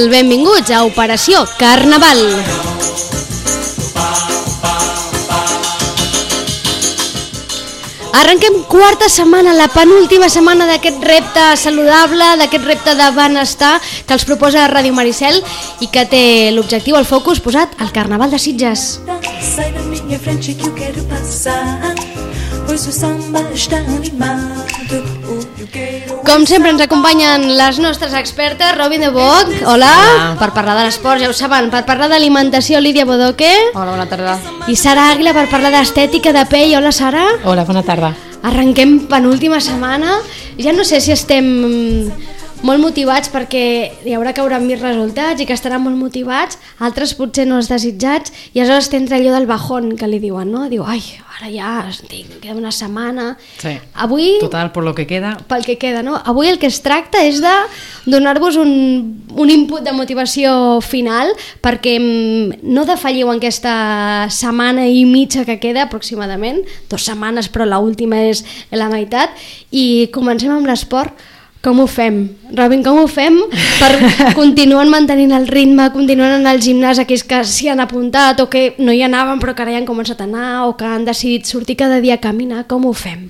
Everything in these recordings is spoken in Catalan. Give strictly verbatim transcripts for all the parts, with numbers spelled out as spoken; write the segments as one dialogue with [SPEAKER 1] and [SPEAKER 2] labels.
[SPEAKER 1] tal? Benvinguts a Operació Carnaval. Arrenquem quarta setmana, la penúltima setmana d'aquest repte saludable, d'aquest repte de benestar que els proposa Ràdio Maricel i que té l'objectiu, el focus, posat al Carnaval de Sitges.
[SPEAKER 2] Sai da minha frente que eu quero passar, pois o samba está animado.
[SPEAKER 1] Com sempre ens acompanyen les nostres expertes, Robin de Boc, hola,
[SPEAKER 3] hola.
[SPEAKER 1] Per parlar de l'esport, ja ho saben, per parlar d'alimentació, Lídia Bodoque.
[SPEAKER 3] Hola, bona tarda.
[SPEAKER 1] I Sara Àguila per parlar d'estètica de pell, hola Sara.
[SPEAKER 3] Hola, bona tarda.
[SPEAKER 1] Arrenquem penúltima setmana, ja no sé si estem molt motivats perquè hi haurà que haurà més resultats i que estaran molt motivats, altres potser no els desitjats, i aleshores t'entra allò del bajón que li diuen, no? Diu, ai, ara ja tinc, queda una setmana.
[SPEAKER 3] Sí,
[SPEAKER 1] avui,
[SPEAKER 3] total, per lo que queda.
[SPEAKER 1] Pel que queda, no? Avui el que es tracta és de donar-vos un, un input de motivació final perquè no defalliu en aquesta setmana i mitja que queda aproximadament, dues setmanes però l'última és la meitat, i comencem amb l'esport. Com ho fem? Robin, com ho fem per continuar mantenint el ritme, continuant en el gimnàs, aquells que s'hi han apuntat o que no hi anaven però que ara ja han començat a anar o que han decidit sortir cada dia a caminar, com ho fem?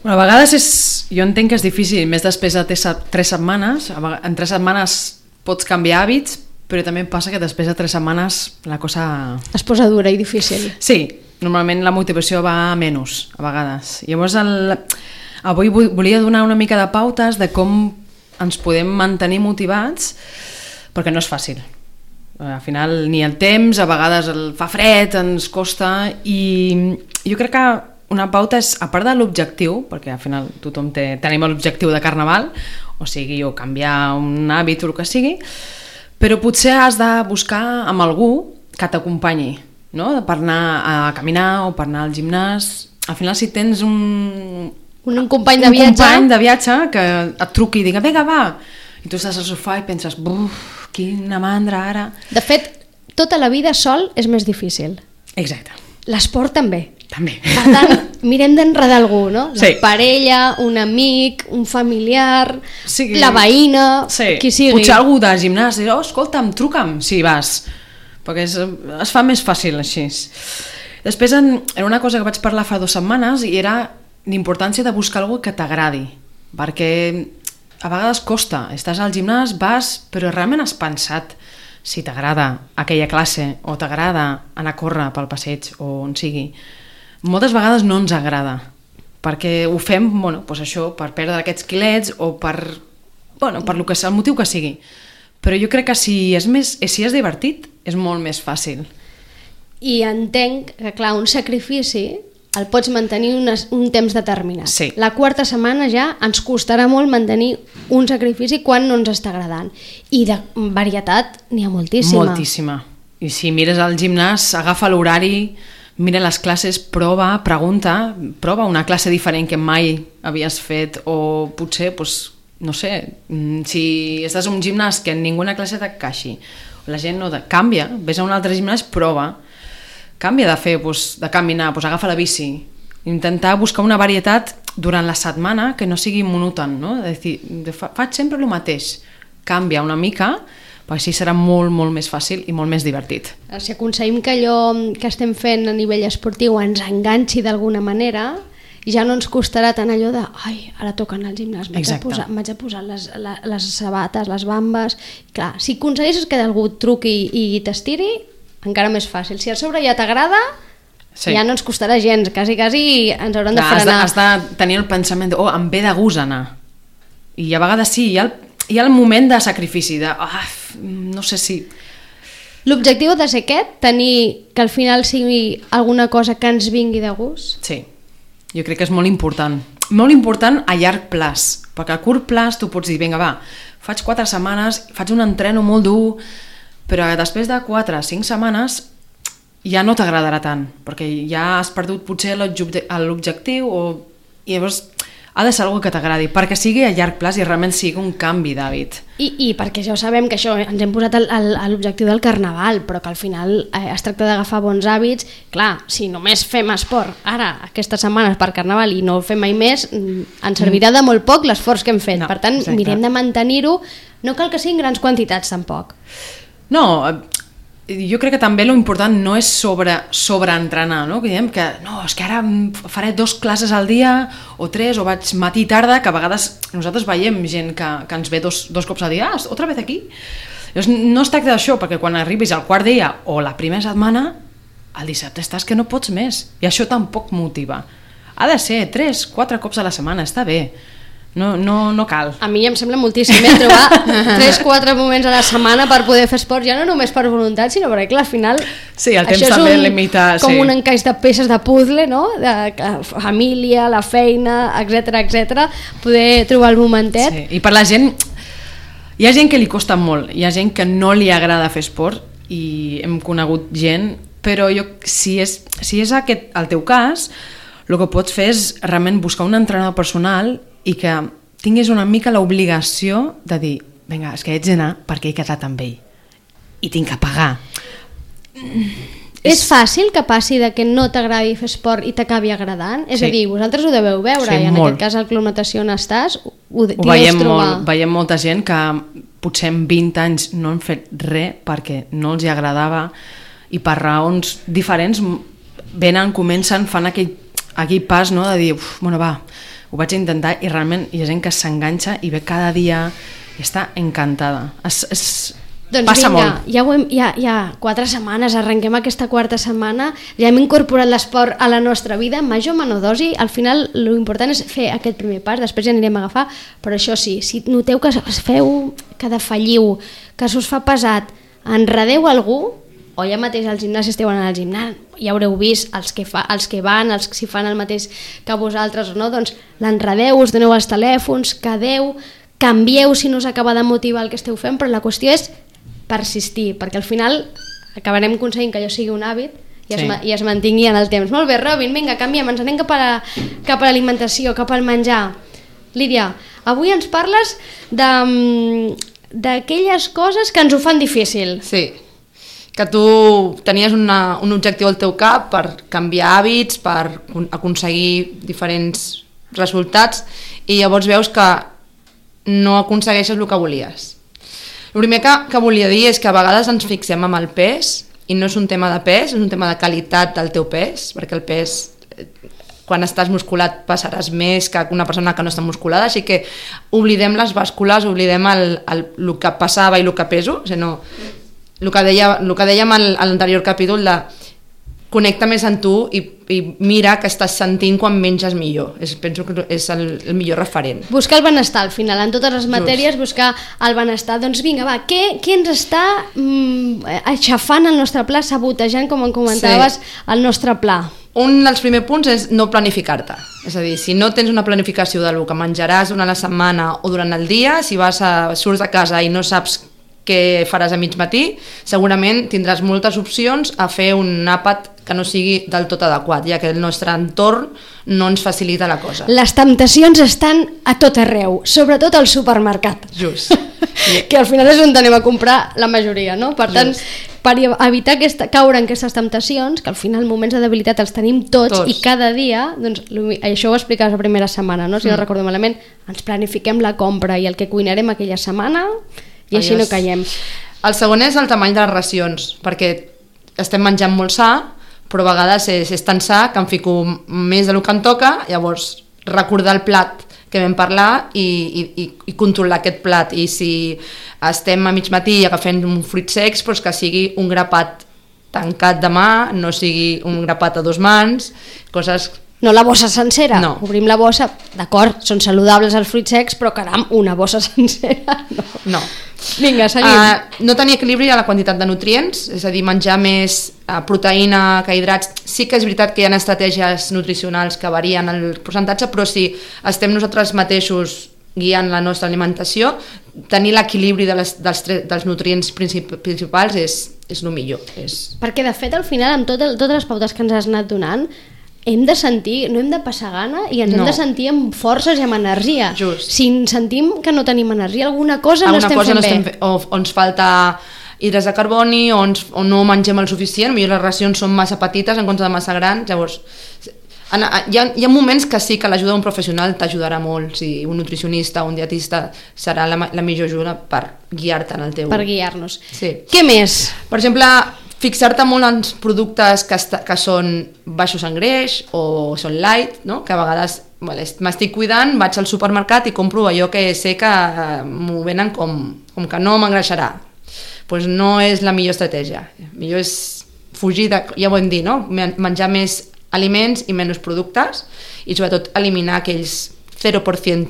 [SPEAKER 3] Bueno, a vegades és, jo entenc que és difícil, més després de tres setmanes, en tres setmanes pots canviar hàbits, però també passa que després de tres setmanes la cosa...
[SPEAKER 1] Es posa dura i difícil.
[SPEAKER 3] Sí, normalment la motivació va a menys, a vegades. Llavors el... Avui volia donar una mica de pautes de com ens podem mantenir motivats, perquè no és fàcil. Al final ni el temps, a vegades el fa fred, ens costa, i jo crec que una pauta és, a part de l'objectiu, perquè al final tothom té, tenim l'objectiu de Carnaval, o sigui, o canviar un hàbit o el que sigui, però potser has de buscar amb algú que t'acompanyi, no? Per anar a caminar o per anar al gimnàs. Al final, si tens un...
[SPEAKER 1] Un company de
[SPEAKER 3] un
[SPEAKER 1] viatge.
[SPEAKER 3] company de viatge que et truqui i digui, vinga, va, i tu estàs al sofà i penses, buf, quina mandra ara.
[SPEAKER 1] De fet, tota la vida sol és més difícil.
[SPEAKER 3] Exacte.
[SPEAKER 1] L'esport també.
[SPEAKER 3] També.
[SPEAKER 1] Per tant, mirem d'enredar algú, no? La
[SPEAKER 3] Sí.
[SPEAKER 1] parella, un amic, un familiar,
[SPEAKER 3] Sí.
[SPEAKER 1] la veïna,
[SPEAKER 3] Sí.
[SPEAKER 1] qui sigui.
[SPEAKER 3] Potser algú de gimnàs, oh, escolta'm, truca'm, si vas, perquè es, es fa més fàcil així. Després, en, era una cosa que vaig parlar fa dues setmanes i era l'importància de buscar algú que t'agradi, perquè a vegades costa, estàs al gimnàs, vas, però realment has pensat si t'agrada aquella classe o t'agrada anar a córrer pel passeig o on sigui. Moltes vegades no ens agrada, perquè ho fem, bueno, doncs això, per perdre aquests quilets o per, bueno, per lo que, el motiu que sigui. Però jo crec que si és, més, si és divertit és molt més fàcil.
[SPEAKER 1] I entenc que, clar, un sacrifici el pots mantenir un, un temps determinat.
[SPEAKER 3] Sí.
[SPEAKER 1] La quarta setmana ja ens costarà molt mantenir un sacrifici quan no ens està agradant. I de varietat n'hi ha moltíssima.
[SPEAKER 3] Moltíssima. I si mires al gimnàs, agafa l'horari, mira les classes, prova, pregunta, prova una classe diferent que mai havies fet, o potser, doncs, no sé, si estàs en un gimnàs que en ninguna classe t'encaixi, la gent no te... canvia, vés a un altre gimnàs, prova, canvia de fer, doncs, de caminar, doncs agafa la bici, intentar buscar una varietat durant la setmana que no sigui monòton, no? És dir, faig sempre el mateix, canvia una mica, perquè així serà molt, molt més fàcil i molt més divertit.
[SPEAKER 1] Si aconseguim que allò que estem fent a nivell esportiu ens enganxi d'alguna manera, ja no ens costarà tant allò de ai, ara toca anar al gimnàs, m'haig de posar, m'haig de posar les, les, les sabates, les bambes. Clar, si aconsegueixes que algú truqui i t'estiri, encara més fàcil. Si a sobre ja t'agrada, sí. Ja no ens costarà gens, quasi, quasi ens hauran de frenar.
[SPEAKER 3] Has de, has de tenir el pensament de, oh, em ve de gust anar. I a vegades sí, hi ha el, hi ha el moment de sacrifici, de, ah, no sé si...
[SPEAKER 1] L'objectiu ha de ser aquest, tenir que al final sigui alguna cosa que ens vingui de gust?
[SPEAKER 3] Sí, jo crec que és molt important. Molt important a llarg plaç, perquè a curt plaç tu pots dir, vinga, va, faig quatre setmanes, faig un entreno molt dur, però després de quatre o cinc setmanes ja no t'agradarà tant, perquè ja has perdut potser l'objectiu, o... i llavors ha de ser una cosa que t'agradi, perquè sigui a llarg plaç i realment sigui un canvi d'hàbit.
[SPEAKER 1] I, I perquè ja ho sabem, que això ens hem posat el, el, l'objectiu del carnaval, però que al final eh, es tracta d'agafar bons hàbits. Clar, si només fem esport ara, aquestes setmanes per carnaval, i no ho fem mai més, ens servirà de molt poc l'esforç que hem fet.
[SPEAKER 3] No,
[SPEAKER 1] per tant,
[SPEAKER 3] exacte.
[SPEAKER 1] mirem de mantenir-ho. No cal que siguin grans quantitats, tampoc.
[SPEAKER 3] No, jo crec que també lo important no és sobre, sobreentrenar, no? Que diem que no, és que ara faré dos classes al dia o tres, o vaig matí i tarda, que a vegades nosaltres veiem gent que, que ens ve dos, dos cops al dia, ah, otra vez aquí. Llavors, no es tracta d'això, perquè quan arribis al quart dia o la primera setmana, el dissabte estàs que no pots més, i això tampoc motiva. Ha de ser tres, quatre cops a la setmana, està bé. No, no, no cal.
[SPEAKER 1] A mi em sembla moltíssim eh, trobar tres quatre moments a la setmana per poder fer esport, ja no només per voluntat, sinó perquè clar, al final
[SPEAKER 3] sí, el temps
[SPEAKER 1] això és
[SPEAKER 3] també
[SPEAKER 1] un,
[SPEAKER 3] limita,
[SPEAKER 1] com
[SPEAKER 3] sí. Un
[SPEAKER 1] encaix de peces de puzzle, no? De la família, la feina, etcètera, etcètera, poder trobar el momentet.
[SPEAKER 3] Sí. I per la gent, hi ha gent que li costa molt, hi ha gent que no li agrada fer esport, i hem conegut gent, però jo, si és, si és aquest el teu cas, el que pots fer és realment buscar un entrenador personal i que tinguis una mica l'obligació de dir, vinga, és que haig d'anar perquè he quedat amb ell i tinc que pagar.
[SPEAKER 1] És, és fàcil que passi de que no t'agradi fer esport i t'acabi agradant? És
[SPEAKER 3] sí.
[SPEAKER 1] a dir, vosaltres ho deveu veure,
[SPEAKER 3] sí,
[SPEAKER 1] i en
[SPEAKER 3] molt.
[SPEAKER 1] aquest cas al Club Natació on estàs, ho, ho
[SPEAKER 3] veiem
[SPEAKER 1] trobar.
[SPEAKER 3] molt, veiem molta gent que potser en vint anys no han fet res perquè no els hi agradava, i per raons diferents venen, comencen, fan aquell, aquell pas, no, de dir, uf, bueno, va, ho vaig intentar, i realment hi ha gent que s'enganxa i ve cada dia i està encantada. Es, es
[SPEAKER 1] doncs
[SPEAKER 3] passa
[SPEAKER 1] vinga,
[SPEAKER 3] molt.
[SPEAKER 1] Ja, ho hem, ja, ja quatre setmanes, arrenquem aquesta quarta setmana, ja hem incorporat l'esport a la nostra vida, major o menor dosi. Al final l'important és fer aquest primer pas, després ja anirem a agafar, però això sí, si noteu que feu, que defalliu, que s'us fa pesat, enredeu algú, o ja mateix al gimnàs esteu anant al gimnàs, ja haureu vist els que, fa, els que van, els que si fan el mateix que vosaltres o no, doncs l'enredeu, us doneu els telèfons, quedeu, canvieu si no us acaba de motivar el que esteu fent, però la qüestió és persistir, perquè al final acabarem aconseguint que allò sigui un hàbit i es, sí. i es mantingui en el temps. Molt bé, Robin, vinga, canviem, ens anem cap a, la, cap a l'alimentació, cap al menjar. Lídia, avui ens parles de, d'aquelles coses que ens ho fan difícil.
[SPEAKER 4] Sí, que tu tenies una, un objectiu al teu cap per canviar hàbits, per aconseguir diferents resultats, i llavors veus que no aconsegueixes el que volies. El primer que, que volia dir és que a vegades ens fixem amb el pes, i no és un tema de pes, és un tema de qualitat del teu pes, perquè el pes, quan estàs musculat, passaràs més que una persona que no està musculada, així que oblidem les bàscules, oblidem el, el, el que passava i el que peso, o sigui, no... El que, deia, el que dèiem a l'anterior capítol de connecta més amb tu i, i mira que estàs sentint quan menges millor. És, penso que és el, el millor referent.
[SPEAKER 1] Buscar el benestar al final, en totes les matèries. Just. Buscar el benestar. Doncs vinga, va, què, què ens està mm, aixafant el nostre pla, sabotejant, com en comentaves, sí. el nostre pla?
[SPEAKER 4] Un dels primers punts és no planificar-te. És a dir, si no tens una planificació del que menjaràs durant la setmana o durant el dia, si vas a, surts de casa i no saps què faràs a mig matí, segurament tindràs moltes opcions a fer un àpat que no sigui del tot adequat, ja que el nostre entorn no ens facilita la cosa.
[SPEAKER 1] Les temptacions estan a tot arreu, sobretot al supermercat.
[SPEAKER 4] Just.
[SPEAKER 1] Que al final és on anem a comprar la majoria, no? Per tant, Just. per evitar aquesta, caure en aquestes temptacions, que al final moments de debilitat els tenim tots, tots. I cada dia, doncs, això ho explicaves la primera setmana, no? Si mm. no recordo malament, ens planifiquem la compra i el que cuinarem aquella setmana i així no caiem.
[SPEAKER 4] El segon és el tamany de les racions, perquè estem menjant molt sa, però a vegades és, és tan sa que em fico més del que em toca, llavors recordar el plat que vam parlar i, i, i controlar aquest plat, i si estem a mig matí agafant un fruit secs, doncs que sigui un grapat tancat de mà, no sigui un grapat a dos mans, coses...
[SPEAKER 1] No la bossa sencera,
[SPEAKER 4] no.
[SPEAKER 1] Obrim la bossa, d'acord, són saludables els fruits secs, però caram, una bossa sencera, no.
[SPEAKER 4] No.
[SPEAKER 1] Vinga, seguim.
[SPEAKER 4] Uh, no tenir equilibri a la quantitat de nutrients, és a dir, menjar més uh, proteïna que hidrats. Sí que és veritat que hi ha estratègies nutricionals que varien el percentatge, però si estem nosaltres mateixos guiant la nostra alimentació, tenir l'equilibri de les, dels, dels nutrients princip principals és, és el millor. És...
[SPEAKER 1] Perquè de fet al final amb tot el, totes les pautes que ens has anat donant, hem de sentir, no hem de passar gana i ens
[SPEAKER 4] No.
[SPEAKER 1] hem de sentir amb forces i amb energia.
[SPEAKER 4] Just.
[SPEAKER 1] Si sentim que no tenim energia, alguna cosa
[SPEAKER 4] Alguna
[SPEAKER 1] no estem
[SPEAKER 4] cosa
[SPEAKER 1] fent
[SPEAKER 4] no estem
[SPEAKER 1] bé.
[SPEAKER 4] fe- o, o ens falta hidrats de carboni o, ens, o no mengem el suficient, potser les racions són massa petites en compte de massa grans, llavors en, hi, ha, hi ha moments que sí que l'ajuda d'un professional t'ajudarà molt, si un nutricionista o un dietista serà la, la millor ajuda per guiar-te en el teu...
[SPEAKER 1] Per guiar-nos.
[SPEAKER 4] Sí.
[SPEAKER 1] Què més?
[SPEAKER 4] Per exemple, fixar-te molt en productes que, esta, que són baixos en greix o són light, no? Que a vegades vale, m'estic cuidant, vaig al supermercat i compro allò que sé que eh, m'ho venen com, com que no m'engreixarà. Pues no és la millor estratègia. Millor és fugir, de, ja ho hem dit, no? Menjar més aliments i menys productes i sobretot eliminar aquells zero per cent.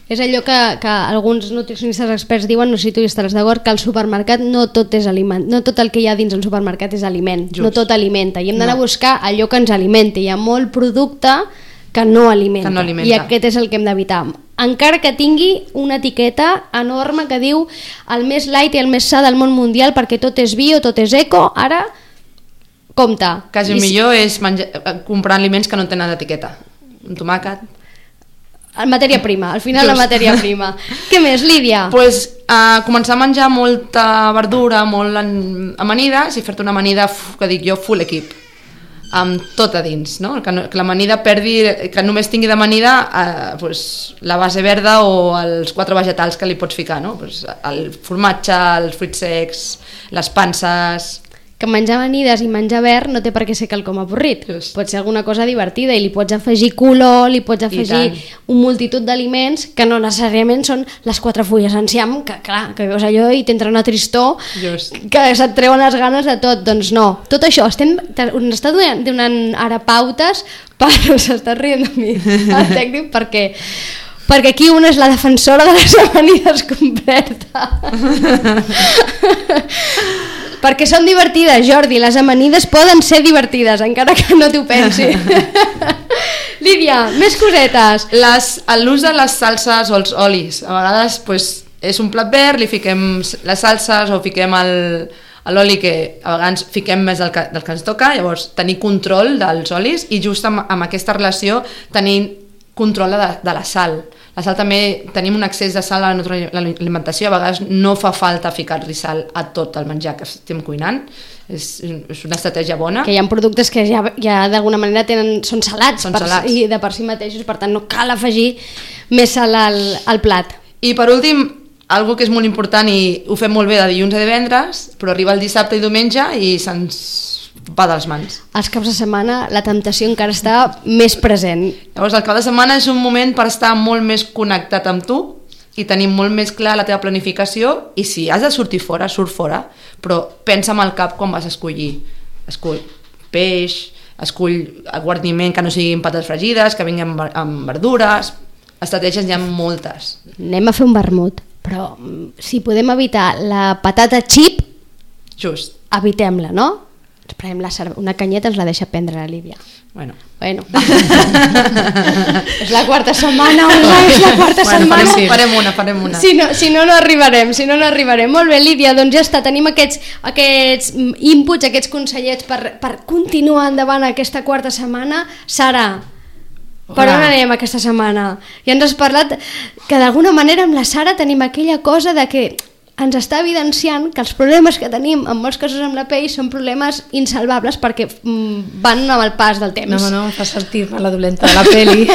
[SPEAKER 1] És allò que, que alguns nutricionistes experts diuen, no sé si tu hi estaràs d'acord, que al supermercat no tot és aliment, no tot el que hi ha dins el supermercat és aliment,
[SPEAKER 4] Just.
[SPEAKER 1] no tot alimenta, i hem d'anar
[SPEAKER 4] No.
[SPEAKER 1] a buscar allò que ens alimenta, hi ha molt producte que no alimenta,
[SPEAKER 4] Que no alimenta.
[SPEAKER 1] i aquest és el que hem d'evitar. Encara que tingui una etiqueta enorme que diu el més light i el més sa del món mundial perquè tot és bio, tot és eco, ara compte.
[SPEAKER 4] Quasi
[SPEAKER 1] I si-
[SPEAKER 4] millor és menjar, comprar aliments que no tenen etiqueta. Un tomàquet.
[SPEAKER 1] matèria prima, al final
[SPEAKER 4] Just.
[SPEAKER 1] la matèria prima. Què més, Lídia?
[SPEAKER 4] Pues, uh, començar a menjar molta verdura, molt en, amanides i fer-te una amanida, uf, que dic jo, full equip, amb tot a dins, no? Que, no, que l'amanida perdi, que només tingui d'amanida uh, pues, la base verda o els quatre vegetals que li pots ficar, no? Pues, el formatge, els fruits secs, les panses...
[SPEAKER 1] Que menjar amanides i menjar verd no té per què ser quelcom avorrit.
[SPEAKER 4] Just.
[SPEAKER 1] Pot ser alguna cosa divertida i li pots afegir color, li pots afegir
[SPEAKER 4] tant.
[SPEAKER 1] un multitud d'aliments que no necessàriament són les quatre fulles enciam, que clar, que veus allò i t'entra una tristor
[SPEAKER 4] Just.
[SPEAKER 1] que se't treuen les ganes de tot. Doncs no, tot això, estem, ens està donant, donant ara pautes, però s'està rient de mi el tècnic perquè perquè aquí una és la defensora de les amanides completa. Perquè són divertides, Jordi, les amanides poden ser divertides, encara que no t'ho pensi. Lídia, més cosetes.
[SPEAKER 4] Les, l'ús de les salses o els olis, a vegades pues, és un plat verd, li fiquem les salses o fiquem el, l'oli que a vegades fiquem més del que, del que ens toca, llavors tenir control dels olis i just amb, amb aquesta relació tenir control de, de la sal. La sal també, tenim un excés de sal a la nostra alimentació, a vegades no fa falta ficar-li sal a tot el menjar que estem cuinant, és, és una estratègia bona.
[SPEAKER 1] Que hi ha productes que ja, ja d'alguna manera tenen, són salats,
[SPEAKER 4] Són
[SPEAKER 1] per,
[SPEAKER 4] salats.
[SPEAKER 1] i de per si mateixos, per tant no cal afegir més sal al, al plat.
[SPEAKER 4] I per últim, algo que és molt important i ho fem molt bé de dilluns a divendres, però arriba el dissabte i diumenge i se'ns va de les mans.
[SPEAKER 1] Els caps de setmana la temptació encara està més present.
[SPEAKER 4] Llavors el cap de setmana és un moment per estar molt més connectat amb tu i tenir molt més clar la teva planificació i si has de sortir fora, surt fora, però pensa amb el cap quan vas a escollir. Escull peix, escull guarniment que no siguin patates fregides, que vinguin amb, amb verdures, estratègies hi ha moltes.
[SPEAKER 1] Anem a fer un vermut, però mm, si podem evitar la patata xip,
[SPEAKER 4] Just.
[SPEAKER 1] evitem-la, no? Ens prenem la cerve... una canyeta ens la deixa prendre la Lídia.
[SPEAKER 4] Bueno.
[SPEAKER 1] Bueno. És la quarta setmana, Olga, és la quarta
[SPEAKER 4] Bueno,
[SPEAKER 1] setmana.
[SPEAKER 4] farem, farem una, farem una.
[SPEAKER 1] Si no, si no, no arribarem, si no, no arribarem. Molt bé, Lídia, doncs ja està, tenim aquests, aquests inputs, aquests consellets per, per continuar endavant aquesta quarta setmana. Sara, per on anem aquesta setmana? Ja ens has parlat que d'alguna manera amb la Sara tenim aquella cosa de que ens està evidenciant que els problemes que tenim en molts casos amb la pell són problemes insalvables perquè mm, van amb el pas del temps.
[SPEAKER 5] No, no, no, em fa sentir-me la dolenta de la peli.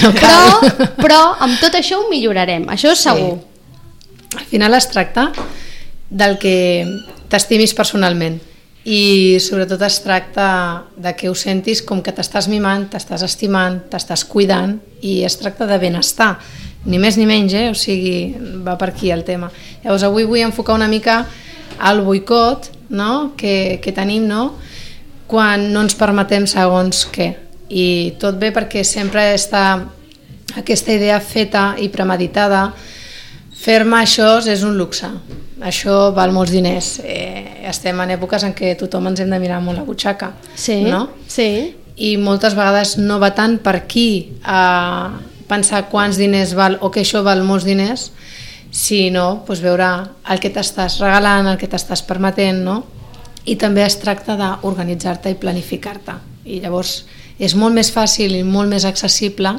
[SPEAKER 5] No
[SPEAKER 1] però, però amb tot això ho millorarem, això és segur.
[SPEAKER 5] Sí. Al final es tracta del que t'estimis personalment i sobretot es tracta de que ho sentis com que t'estàs mimant, t'estàs estimant, t'estàs cuidant i es tracta de benestar, ni més ni menys, eh? O sigui, va per aquí el tema. Llavors avui vull enfocar una mica al boicot, no? que, que tenim, no? Quan no ens permetem segons què. I tot bé perquè sempre està aquesta idea feta i premeditada. Fer-me això és un luxe, això val molts diners. Eh, estem en èpoques en què tothom ens hem de mirar molt la butxaca,
[SPEAKER 1] Sí,
[SPEAKER 5] no?
[SPEAKER 1] sí.
[SPEAKER 5] I moltes vegades no va tant per aquí a pensar quants diners val o que això val molts diners, sinó doncs, veure el que t'estàs regalant, el que t'estàs permetent, no? I també es tracta d'organitzar-te i planificar-te. i llavors és molt més fàcil i molt més accessible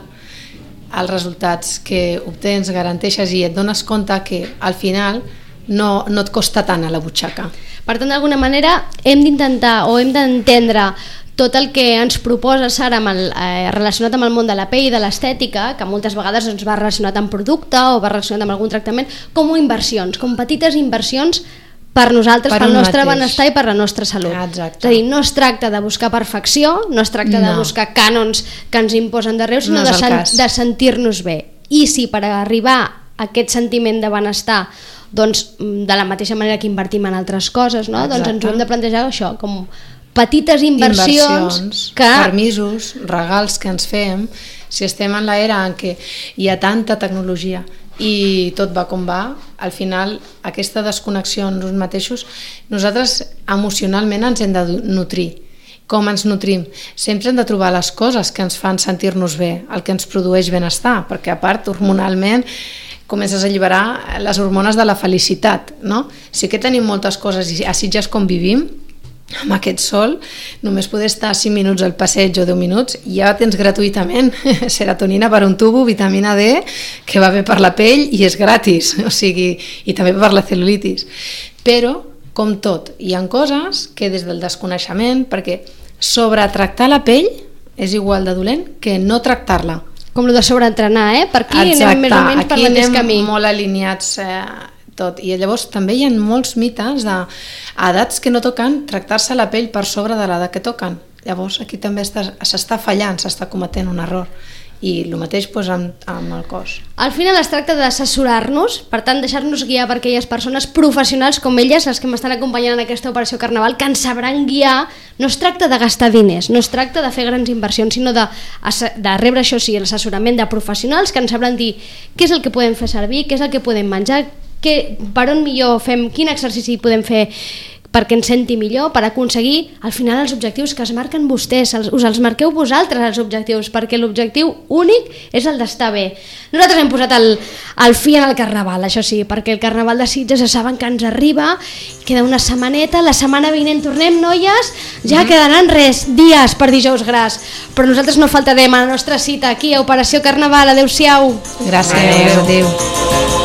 [SPEAKER 5] els resultats que obtens, garanteixes i et dones compte que al final no, no et costa tant a la butxaca.
[SPEAKER 1] Per tant, d'alguna manera hem d'intentar o hem d'entendre tot el que ens proposa Sara amb el, eh, relacionat amb el món de la pell i de l'estètica, que moltes vegades doncs, va relacionat amb producte o va relacionat amb algun tractament, com inversions, com petites inversions per nosaltres, per pel nostre mateix benestar i per la nostra salut.
[SPEAKER 5] Exacte.
[SPEAKER 1] És a dir, no es tracta de buscar perfecció, no es tracta no. de buscar cànons que ens imposen d'arreu, sinó no de, sen de sentir-nos bé. I si per arribar a aquest sentiment de benestar, doncs, de la mateixa manera que invertim en altres coses, no? Doncs ens ho hem de plantejar això, com petites inversions,
[SPEAKER 5] inversions
[SPEAKER 1] que...
[SPEAKER 5] permisos, regals que ens fem, si estem en l'era en què hi ha tanta tecnologia i tot va com va, al final aquesta desconnexió en nosaltres mateixos, nosaltres emocionalment ens hem de nutrir. Com ens nutrim? Sempre hem de trobar les coses que ens fan sentir-nos bé, el que ens produeix benestar, perquè a part hormonalment comences a alliberar les hormones de la felicitat, no? Sí que tenim moltes coses i a Sitges com vivim, amb aquest sol, només poder estar cinc minuts al passeig o deu minuts, ja tens gratuïtament serotonina per un tubo, vitamina D, que va bé per la pell i és gratis, o sigui, i també per la cel·lulitis. Però, com tot, hi ha coses que des del desconeixement, perquè sobretractar la pell és igual de dolent que no tractar-la.
[SPEAKER 1] Com el de sobreentrenar, eh? Per aquí
[SPEAKER 5] Exacte,
[SPEAKER 1] anem més o menys per el mateix camí.
[SPEAKER 5] Aquí anem molt alineats eh, tot. I llavors també hi ha molts mites d'edats que no toquen tractar-se la pell per sobre de l'edat que toquen. Llavors aquí també s'està fallant, s'està cometent un error. I el mateix doncs, amb, amb el cos.
[SPEAKER 1] Al final es tracta d'assessorar-nos, per tant deixar-nos guiar per aquelles persones professionals com elles, les que m'estan acompanyant en aquesta operació Carnaval, que ens sabran guiar. No es tracta de gastar diners, no es tracta de fer grans inversions, sinó de, de rebre, això sí, l'assessorament de professionals que ens sabran dir què és el que podem fer servir, què és el que podem menjar, que, per on millor fem, quin exercici podem fer perquè ens senti millor, per aconseguir al final els objectius que es marquen vostès, els, us els marqueu vosaltres els objectius, perquè l'objectiu únic és el d'estar bé. Nosaltres hem posat el, el fi en el Carnaval, això sí, perquè el Carnaval de Sitges ja saben que ens arriba, queda una setmaneta, la setmana vinent tornem, noies, ja mm-hmm. quedaran res, dies per dijous gras, però nosaltres no faltarem a la nostra cita aquí a Operació Carnaval. Adéu-siau.
[SPEAKER 5] Gràcies, adéu. adéu.